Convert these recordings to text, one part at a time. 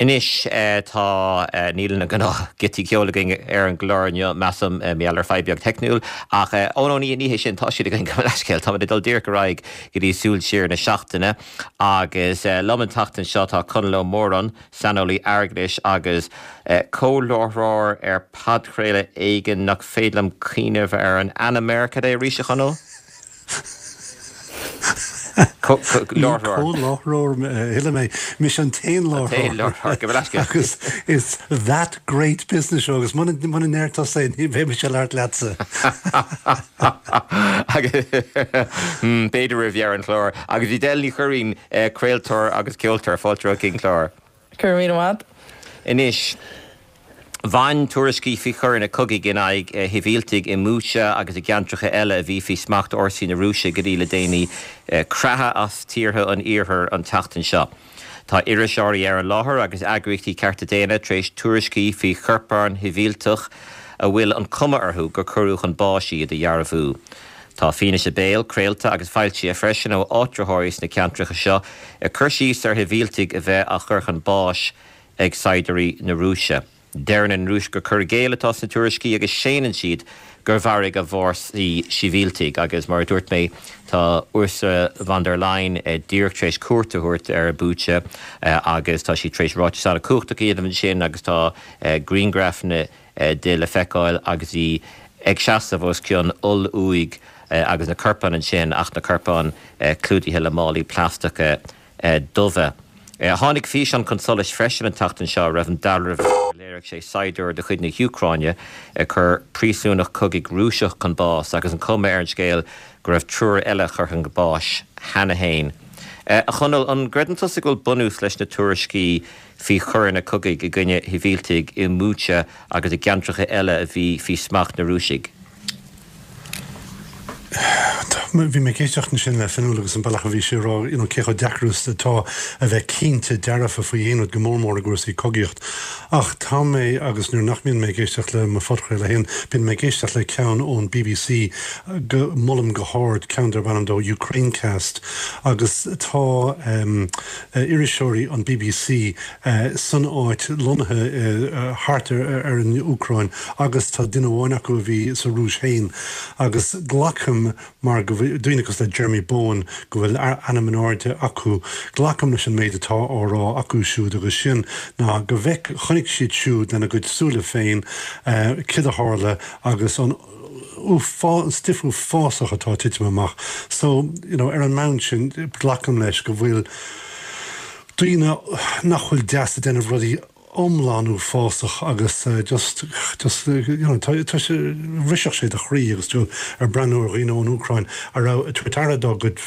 Anois tá, níl na gnáth giotaí ceoil againn ar an gclár inniu, measaim, mar gheall ar fadhb beag teicniúil, ach, ó no, ní hé sin, tá siad againn, gabh mo leithscéal, táimid ag dul díreach ar aghaidh go dtí Súil Siar na Seachtaine agus liom an tseachtain seo tá Conall Ó Móráin, saineolaí airgeadais agus comhláithreoir ar podchraoladh éigin nach féidir liom cuimhneamh ar an ainm air, cad é arís, a Chonaill? Ní comhláithreoir a thuilleadh mé, mise an t-aon láithreoir agus is That Great Business Show agus muna ndeir tusa é ní bheidh mise ag labhairt leatsa. B'fhéidir roimh dheireadh an chláir. Agus Edel Ní Churraoin, craoltóir agus ceoltóir, fáilte romhat chuig an chlár. Go raibh míle maith. Anois, bhain tuairiscí faoi choireanna cogaidh in aghaidh shibhialtaigh i mBucha agus i gceantracha eile a bhí faoi smacht fhórsaí na Rúise go dtí le déanaí creathadh as tíortha an Iarthair an tseachtain seo. Tá iriseoirí ar an láthair agus eagraíochtaí cearta daonna tar éis tuairiscí faoi chorpáin shibhialtach a bhfuil an cuma orthu gur cuireadh chun báis iad a dhearbhú. Tá fianaise béil craolta agus foilsithe freisin ó áitritheoirí sna ceantracha seo ag cur síos ar shibhialtaigh a bheith á chur chun báis ag saighdiúirí na Rúise. Deireann an Rúis gur cur i gcéill atá sna tuairiscí agus séanann siad gur mharaigh a bhfórsaí sibhialtaigh agus mar a dúirt mé tá Ursula von der Leyen díreach tar éis cuairt a thabhairt ar Bucha agus tá sí tar éis ráiteas an-chumhachtach a dhéanamh ansin agus tá grianghrafanna di le feiceáil agus í ag seasamh os cionn oll-uaigh agus na corpáin ansin ach na corpáin clúdaithe le málaí plaisteacha dubha. Tháinig físeán chun solais freisin an tseachtain seo a raibh an dealramh air gur léirigh sé saighdiúir de chuid na hÚcráine ag cur príosúnach cogaidh Rúiseach chun báis agus an chuma ar an scéal go raibh triúr eile curtha chun báis cheana féin. A Chonaill, an gcreideann tusa go bhfuil bunús leis na tuairiscí faoi choireanna cogaidh i gcoinne shibhialtaigh i mBucha agus i gceantracha eile a bhí faoi smacht na Rúisigh. Bhí mé ag éisteacht ansin le Fionnuala agus an bealach a bhí sí ag rá you know cé chomh deacair is atá a bheith cinnte dearfa faoi aon rud, go mór mór i gcúrsaí cogaíocht. Ach tá mé, agus nuair nach mbíonn mé ag éisteacht le mo phodchraoladh féin, bíonn mé ag éisteacht le ceann ón bbc go molaim go hard, ceann darb ainm dó Ukrainecast agus tá em, iriseoirí an bbc san áit, lonnaithe thart ar an Úcráin agus tá duine amháin acu a bhí sa Rúis féin agus glacaim mar go bhfuil, daoine cosúil le Jeremy Bowen, go bhfuil ainm in airde acu, glacaim leis an méid atá á rá acu siúd agus sin ná go bhfeic, chonaic siad siúd lena gcuid súile féin céard a tharla agus an. an stuif uafásach atá ag titim amach. So, you know, ar an mbonn sin, glacaim leis go bhfuil daoine nach bhfuil deas ag déanamh rudaí iomlán uafásach agus just, just, you know, tá, tá sé, bhrisfeadh sé do chroí agus tú ag breathnú ar dhaoine ón Úcráin a raibh ag tabhairt aire dá gcuid,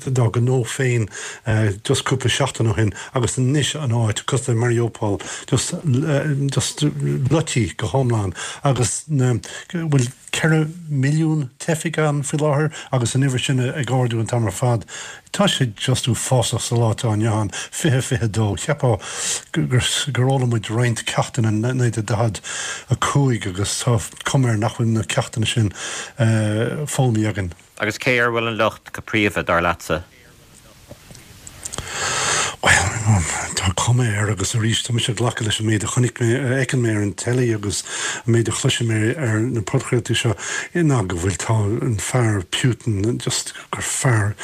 dá ngnó féin just cúpla seachtain ó shin agus anois an áit, cosúil le Mariupol, just, just loite go hiomlán agus na, bhfuil 4 milliún teifigh ann faoi láthair agus an uimhir sin ag ardú an t-am ar fad. Tá sé just uafásach sa lá atá inniu ann, 2022. Cheapfá gur, gur fhoghlaim muid roinnt ceachtanna in 1945 agus tá cuma air nach bhfuil na ceachtanna sin foghlamtha againn. Agus cé air a bhfuil an locht go príomha, dar leatsa? Bhuel, tá cuma air agus arís tá mise ag glacadh leis an méid a chonaic mé, a fheiceann mé ar an teilí agus an méid a chloisim mé ar na podchraoltaí seo ná go bhfuil, tá an fear Putin just gur fear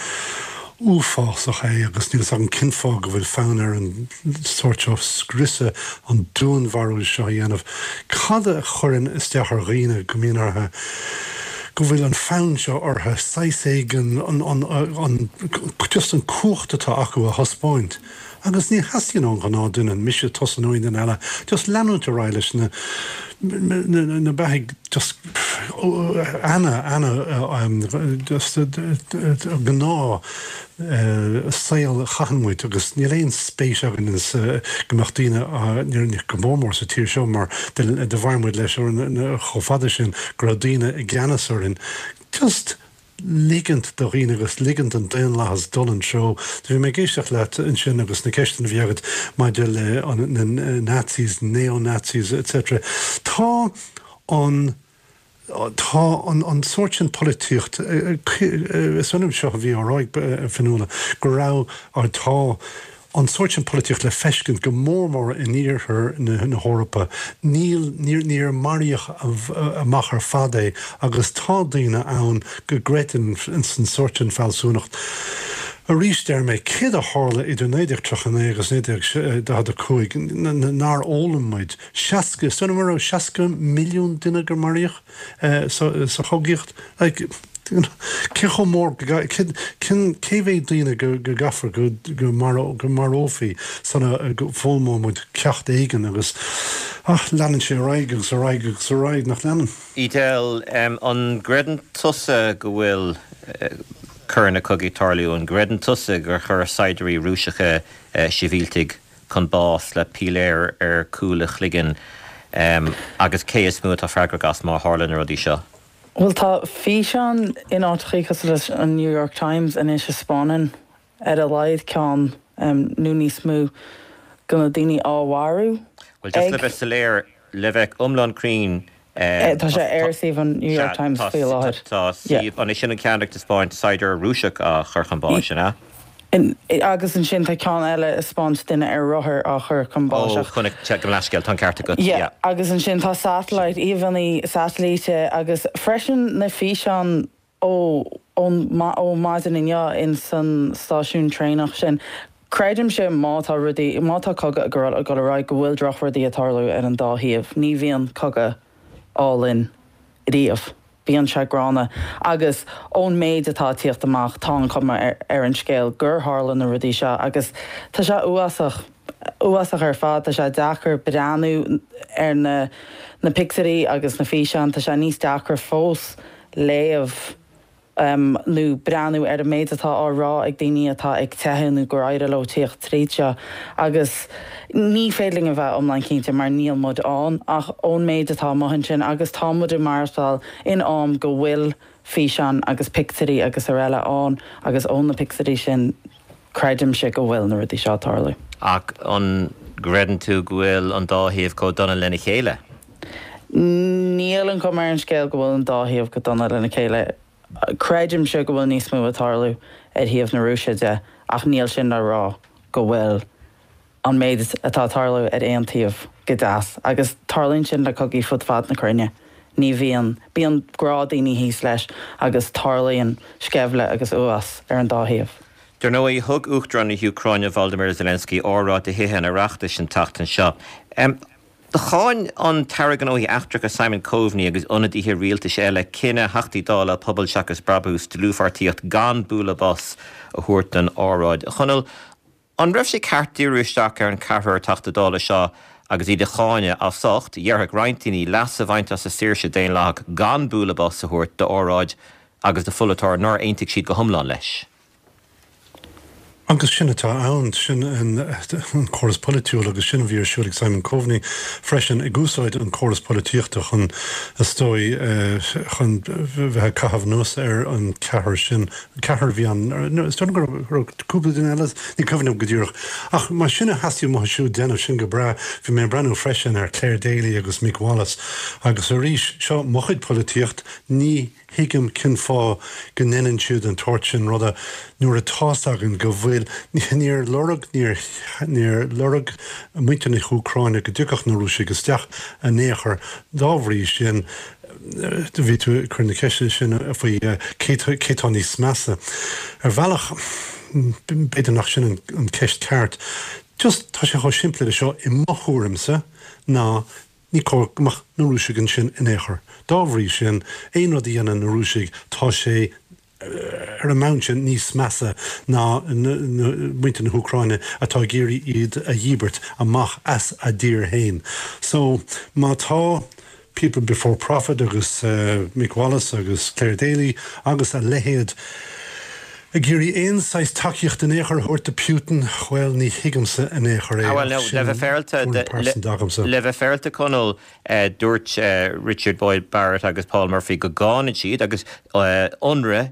uafásach é agus níl fhios agam cén fáth go bhfuil fonn air an sórt seo scriosadh, an dúnmharú seo a dhéanamh. Cad a chuireann isteach ar dhaoine go mbíonn orthu, go bhfuil an fonn seo orthu saghas éigin, an, an, an, just an cumhacht atá acu a thaispeáint. Agus ní theastaíonn ón ghnáth duine, mise, tusa nó aon duine eile, just leanúint ar aghaidh leis na, na, na, na beathaigh just ana, ana, just gnáth saol a chaitheann muid agus níl aon spéis againn go mbeadh daoine, go mór mór sa tír seo mar do mhair muid leis chomh fada sin go raibh daoine i gceannas orainn, just ligint do dhaoine agus ligint don daonlathas dul an treo. Bhí mé ag éisteacht leat ansin agus na ceisteanna a bhí agat maidir le na Nazis, neo-Nazis etc. Tá an. Tá an sórt sin polaitíocht, is ionann seo a bhí á rá ag Fionnuala, go raibh, tá. an sórt sin polaitíocht le feiscint go mór mór in iarthar na hEorpa. Níl, níor, níor maraíodh amach ar fad é agus tá daoine ann go gcreideann san sórt sin fealsúnacht. Arís deir mé, céard a tharla idir 1939 agus 1945 nár fhoghlaim muid? 60, is dóigh liom go raibh 60 milliún duine gur maraíodh sa chogaíocht. Like, cé chomh mór, cé mhéad daoine go gcaithfear go marófaí sula bhfoghlaimeoidh muid ceacht éigin agus, ach leanann sé ar aghaidh agus ar aghaidh agus ar aghaidh, nach leanann? Edel, An gcreideann tusa go bhfuil coireanna cogaidh ag tarlú? An gcreideann tusa gur chuir saighdiúirí Rúiseacha sibhialtaigh chun báis le piléar ar chúl a chloiginn? Agus cé is mó atá freagrach as má tharla na rudaí seo? Bhuel, tá físeáin in áiteachaí cosúil leis an New York Times anois a 'spáineann ar a laghad ceann nó níos mó de na daoine á mharú Bhuel, just le bheith soiléir, le bheith iomlán cruinn, Tá sé ar suíomh an New York Times faoi láthair. Tá suíomh, an é sin an ceann ag taispeáint saighdiúir Rúiseach á chur chun báis, an ea? Agus ansin tá ceann eile ag 'spáint duine ar rothar á chur chun báis. Ó, chonaic, gabh mo leithscéal, tá an ceart agat, yeah. Agus ansin tá satellite, íomhánna satailíte agus freisin na físeáin ó ó maidin inniu in san stáisiún traenach sin. Creidimse má tá rudaí, má tá cogadh ag dul ar aghaidh go bhfuil drochrudaí ag tarlú ar an dá thaobh. Ní bhíonn cogadh álainn riamh. Bíonn sé gránna. Agus ón méid atá ag tíocht amach tá an chuma ar an scéal gur tharla na rudaí seo agus tá sé uafásach, uafásach ar fad. Tá sé deacair breathnú ar na na pictiúirí agus na físeáin. Tá sé níos deacra fós léamh nó breathnú ar an méid atá á rá ag daoine atá ag teitheadh nó gur éirigh leo tíocht tríd seo agus ní féidir linn a bheith iomlán cinnte mar níl muid ann ach ón méid atá amuigh ansin agus tá muid ag maireachtáil in am go bhfuil físeáin agus pictiúirí agus araile ann agus ó na pictiúirí sin creidimse go bhfuil na rudaí seo ag tarlú. Ach an gcreideann tú go bhfuil an dá thaobh chomh dona lena chéile? Níl an chuma ar an scéal go bhfuil an dá thaobh chomh dona lena chéile. Creidimse go bhfuil níos mó ag tarlú ar thaobh na Rúise de ach níl sin le rá go bhfuil an méid atá ag tarlú ar aon taobh go deas. Agus tarlaíonn sin le cogaí fud fad na cruinne. Ní bhíonn, bíonn grá daoine thíos leis agus tarlaíonn sceimhle agus uafás ar an dá thaobh. Dar ndóigh, thug Uachtarán na hÚcráine Volodymyr Zelensky óráid do Thithe an Oireachtais an tseachtain seo. Cháin an tAire Gnóthaí Eachtracha Simon Coveney agus ionadaithe rialtais eile cinneadh Theachtaí Dála Pobal Seachas Brabús dlúthpháirtíocht gan bualadh bos a thabhairt don óráid. A Chonaill, an raibh sé ceart díriú isteach ar an cheathrar Teachta Dála seo agus iad a cháineadh as ucht, déarfadh roinnt daoine, leas a bhaint as a saoirse daonlathach gan bualadh bos a thabhairt d'óráid agus do pholaiteoir nár aontaigh siad go hiomlán leis? Agus sin atá ann, sin an córas polaitiúil agus sin a bhí ar siúl ag Simon Coveney freisin, ag úsáid an córas polaitíochta chun, is dóigh, chun bheith ag caitheamh anuas ar an ceathrar sin, ceathrar a bhí ann, is dóigh liom go raibh cúpla duine eile, ní cuimhin liom go díreach. Ach má sin a theastaigh uathu siúd déanamh, sin go breá. Bhí mé ag breathnú freisin ar Clare Daly agus Mick Wallace agus arís, seo mo chuid polaitíocht, ní thuigim cén fáth go ndeineann siad an tsórt sin ruda nuair atá's againn go bhfuil, níor lorg, níor, níor lorg muintir na hÚcráine go dtiocfadh na Rúisigh isteach in aon chor. Dá bhrí sin, bhí tú ag cur na ceiste sin faoi cé, cé tá níos measa. Ar bhealach, b'fhéidir nach sin an ceist ceart. Just, tá sé chomh simplí le seo i mo thuairimse ná Ní cóir go mbeadh na Rúisigh ansin in aon chor. Dá bhrí sin, aon rud a dhéanann na Rúisigh, tá sé, ar an mbonn sin, níos measa ná muintir na hÚcráine atá ag iarraidh iad a dhíbirt amach as a dtír féin. So, má tá People Before Profit agus Mick Wallace agus Clare Daly agus a leithéid ag iarraidh aon saghas tacaíocht in aon chor a thabhairt do Putin, bhuel, ní thuigimse in aon chor é, ach sin tuairim pearsanta agamsa. Le bheith féaráilte, Conall, dúirt Richard Boyd Barrett agus Paul Murphy go gcáineann siad agus ionradh.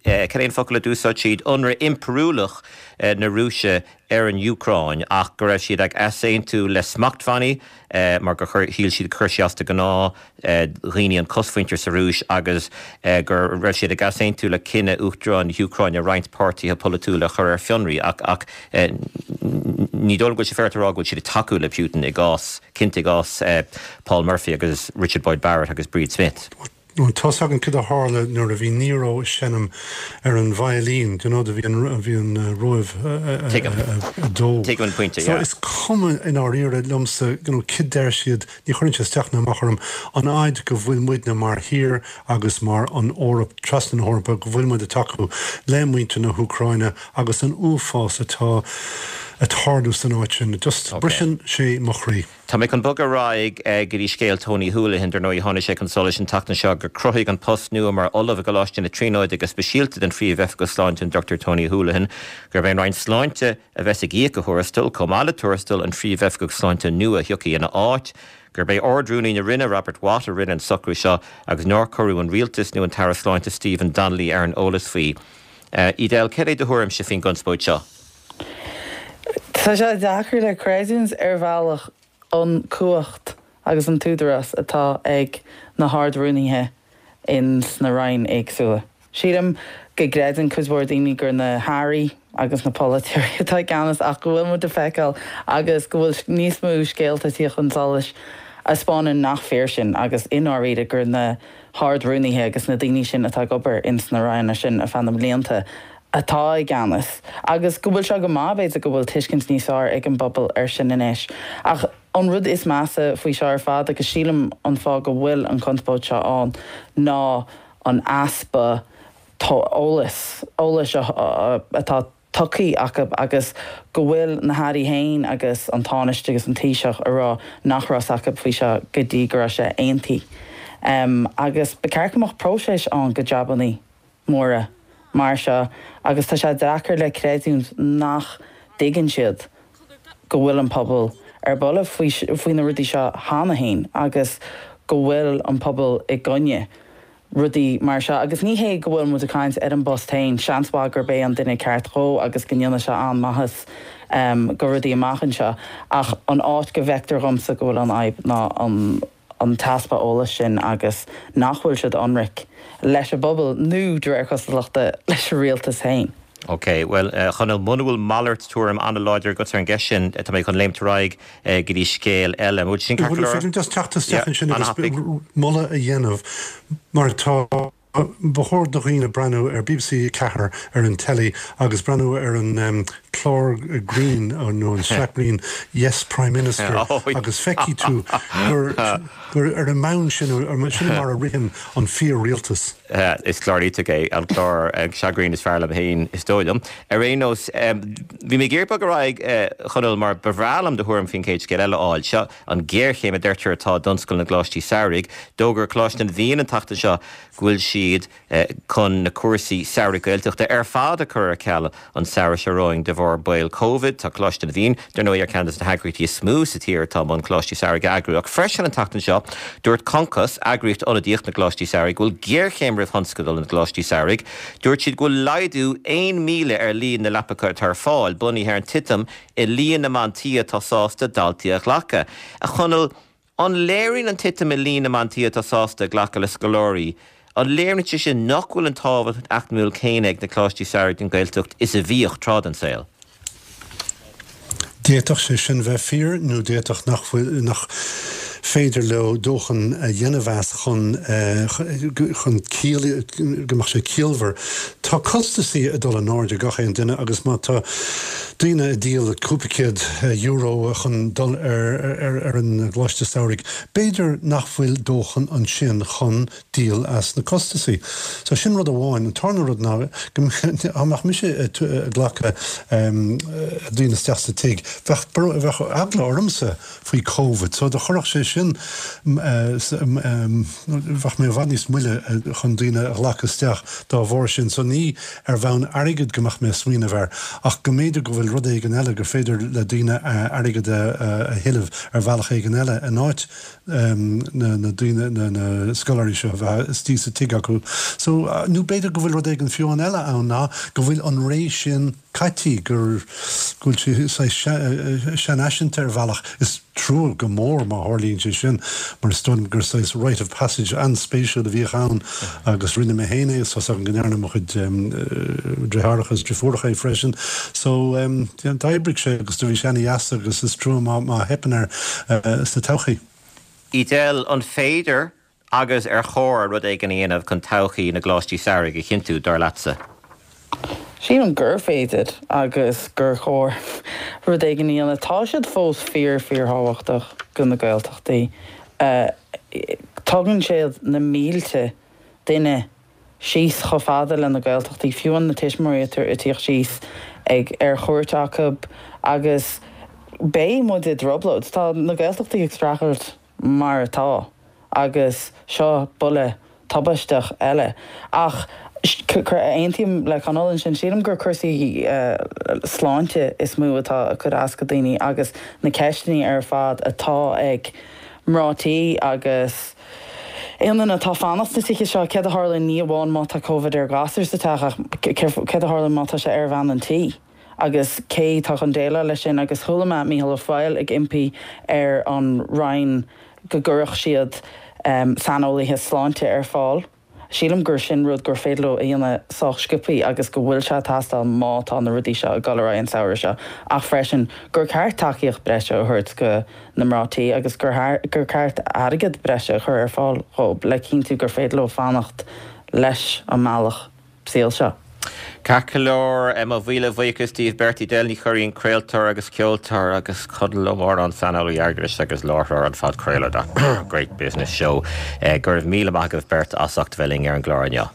cad é an focal a d'úsáid siad, ionradh impiriúlach na Rúise ar an Úcráin ach go raibh siad ag easaontú le smachtbhannaí mar gur chuir, shíl siad gur chuir sé as do ghnáth dhaoine an chosmhuintir sa Rúis agus go raibh siad ag easaontú le cinneadh Uachtarán na hÚcráine roinnt páirtithe polaitiúla a chur ar fionraí ach ach ní dóigh liom go bhfuil sé féaráilte a rá go bhfuil siad ag tacú le Putin i gcás, cinnte i gcás Paul Murphy agus Richard Boyd Barrett agus Bríd Smith. Bhuel, tá's againn cad a tharla nuair a bhí Nero ag seinm ar an veidhlín, do you know, do bhí an, bhí an Róimh ag dó. Tuigim an pointe, yeah. So is cuma i ndáiríre liomsa, you know, cad deir siad, ní chuireann sé isteach ná amach orm, an fhaid go bhfuil muidne mar thír agus mar an Eoraip, trasna na hEorpa, go bhfuil muid ag tacú le muintir na hÚcráine agus an uafás atá ag tarlú san áit sin. Just briseann sé mo chroí. Tá mé chun bogadh ar aghaidh go dtí scéal Tony Holohan. Dar ndóigh, tháinig sé chun solais an tseachtain seo gur cruthaíodh an post nua mar Ollamh i gColáiste na Tríonóide go speisialta don Phríomh-Oifigeach Sláinte, an Dr Tony Holohan, gurb é an Roinn Sláinte a bheas ag íoc a thuarastal, chomh maith le tuarastal an Phríomh-Oifigigh Sláinte nua a thiocfaidh ina áit, gurb é Ard-Rúnaí na Roinne, Robert Watt, a rinne an socrú seo agus nár cuireadh an Rialtas nó an tAire Sláinte Stephen Donnelly ar an eolas faoi. Edel, céard é do thuairimse faoin gconspóid seo? Tá sé deacair le creidiúint ar bhealach an cumhacht agus an t-údarás atá ag na hArd-Rúnaithe ins na Roinn éagsúla. Sílim go gcreideann cuid mhór daoine gur na hAirí agus na polaiteoirí atá i gceannas ach go bhfuil muid ag feiceáil agus go bhfuil níos mó scéalta ag tíocht chun solais a 'spáineann nach fíor sin agus i ndáiríre gur na hArd-Rúnaithe agus na daoine sin atá ag obair ins na Ranna sin ar feadh na mblianta atá i gceannas agus go bhfuil sé go maith, b'fhéidir, go bhfuil tuiscint níos fearr ag an bpobal air sin anois. Ach an rud is measa faoi seo ar fad, agus sílim an fáth go bhfuil an chonspóid seo ann, ná an easpa eolais, eolais atá tugtha acu agus go bhfuil na hairí féin agus an Tánaiste agus an Taoiseach ag rá nach raibh 's acu faoi seo go dtí go raibh sé aontaithe. Agus ba cheart go mbeadh próiseas ann go jabannaí móra mar seo agus tá sé deacair le creidiúint nach dtuigeann siad go bhfuil an pobal ar buile faoi na rudaí seo cheana féin agus go bhfuil an pobal i gcoinne rudaí mar seo. Agus ní hé go bhfuil muid ag caint ar an bpost féin, seans mhaith gurb é an duine ceart dhó agus go ndéanfaidh sé an-mhaitheas go rudaí amach anseo ach an áit go bhfeictear dhomsa go bhfuil an fhadhb ná an an t-easpa eolais sin agus nach bhfuil siad ionraic leis an bpobal nó, de réir cosúlachta, leis an rialtas féin. Ok, bhuel, a Chonaill, muna bhfuil malairt tuairim an-láidir agat ar an gceist sin, tá mé chun léimt ar aghaidh go dtí scéal eile. An bhfuil sin ceart go leor? An féidir liom just teacht isteach ansin agus moladh a dhéanamh mar tá Ba chóir do dhaoine breathnú ar bbc 4 ar an teilí agus breathnú ar an clár grinn nó an sraith grinn Yes Prime Minister agus feicfidh tú gur gur ar an mbonn sin sin mar a ritheann an fíor-rialtas. Is clár iontach é an clár seo grinn is fearr liom féin is dóigh liom. Ar aon nós, bhí mé ag iarraidh bogadh ar aghaidh, a Chonaill, mar ba bhreá liom do thuairim faoin chéad scéal eile a fháil. Seo an ghéarchéim a deirtear atá i dtionscal na gcoláistí samhraidh. D'fhógair Coláiste na bhFiann an tseachtain seo go bhfuil siad chun na cúrsaí samhraidh Gaeltachta ar fad a chur ar ceal an samhradh seo romhainn de bharr baol Covid. Tá Coláiste na bhFiann, dar ndóigh, ar cheann de na heagraíochtaí is mó sa tír atá i mbun coláistí samhraidh a eagrú. Ach freisin an tseachtain seo, dúirt Concos, eagraíocht ionadaíoch na gcoláistí samhraidh, go bhfuil géarchéim roimh thionscadal na gcoláistí samhraidh. Dúirt siad go bhfuil laghdú 1,000 ar líon na leapacha atá ar fáil, bunaithe ar an titim i líon na mban tí atá sásta daltaí a ghlacadh. A Chonaill, an léiríonn an titim i líon na mban tí atá sásta glacadh le scoláirí, an léiríonn sé sin nach bhfuil an tábhacht eacnamúil céanna ag na coláistí samhraidh don Ghaeltacht is a bhíodh tráth den saol? D'fhéadfadh sé sin bheith fíor nó d'fhéadfadh nach bhfuil, nach féidir leo dóthain a dhéanamh as chun, chun ciall, go mbeadh sé ciallmhar. Tá costasaí ag dul in airde gach aon duine agus má tá daoine ag díol cúpla céad euro chun dul ar, ar an gcoláiste samhraidh, b'fhéidir nach bhfuil dóthain ansin chun díol as na costasaí. So sin rud amháin. An tarna rud ná go dá mbeadh mise ag glacadh daoine isteach sa tigh, bheadh, bheadh eagla ormsa faoi Covid. So do chuirfeadh sé sin. sin bheadh mé i bhfad níos moille chun daoine a ghlacadh isteach dá bharr sin. So ní ar bhonn airgid go mbeadh mé ag smaoineamh air ach go mb'fhéidir go bhfuil rud éigin eile gur féidir le daoine airgead a thuilleamh ar bhealach éigin eile in áit na daoine, na scoláirí seo a bheith istigh sa tigh acu. So, nó b'fhéidir go bhfuil rud éigin fiú amháin eile ann ná go bhfuil an ré sin caití, gur, go bhfuil sé saghas seanfhaiseanta ar bhealach. Is trua go mór má tharlaíonn sé sin mar is dóigh liom gur saghas rite of passage an-spéisiúil a bhíodh ann agus rinne mé féin é is tá's agam go ndearna mo chuid deartháireacha is deirfiúracha é freisin. So, d'oibrigh sé agus do bhí sé ana-dheas agus is trua má má theipeann air sa todhchaí. Edel, an féidir agus ar chóir rud éigin a dhéanamh chun todhchaí na gcoláistí samhraidh a chinntiú, dar leatsa? Sílim gur féidir agus gur chóir rud éigin a dhéanamh. Tá siad fós fíor fíorthábhachtach go na Gaeltachtaí. Tugann siad na mílte duine síos chomh fada le na Gaeltachtaí, fiú na tuismitheoirí ag tíocht síos ag ar chuairt acu agus beidh muid i dtrioblóid. Tá na Gaeltachtaí ag streachailt mar atá agus seo buille tubaisteach eile. Ach aontaím le Conall ansin, sílim gur cúrsaí sláinte is mó atá ag cur as go daoine agus na ceisteanna ar fad atá ag mná tí agus aon duine atá ag fanacht sna tithe seo, céard a tharlaíonn ní amháin má tá Covid ar ghasúr sa teach ach céard a tharlaíonn má tá sé ar bhean an tí agus cé tá chun déileáil leis sin agus chuala mé Mícheál Ó Foighil ag impí ar an Roinn go gcuirfeadh siad saineolaithe sláinte ar fáil. Sílim gur sin rud gur féidir leo a dhéanamh sách sciobthaí agus go bhfuil sé ag teastáil má tá na rudaí seo ag dul ar aghaidh an samhradh seo ach freisin gur ceart tacaíocht breise a thabhairt go na mná tí agus gur gur ceart airgead breise a chur ar fáil dhóibh le cinntiú gur féidir leo fanacht leis an mbealach saoil seo. Ceart go leor, mo mhíle bhuíochas daoibh beirt, Edel Ní Churraoin, craoltóir agus ceoltóir, agus Conall Ó Móráin, saineolaí airgeadais agus láithreoir an phodchraoladh The Great Business Show. Go raibh míle maith agaibh beirt as ucht bheith linn ar an gclár inniu.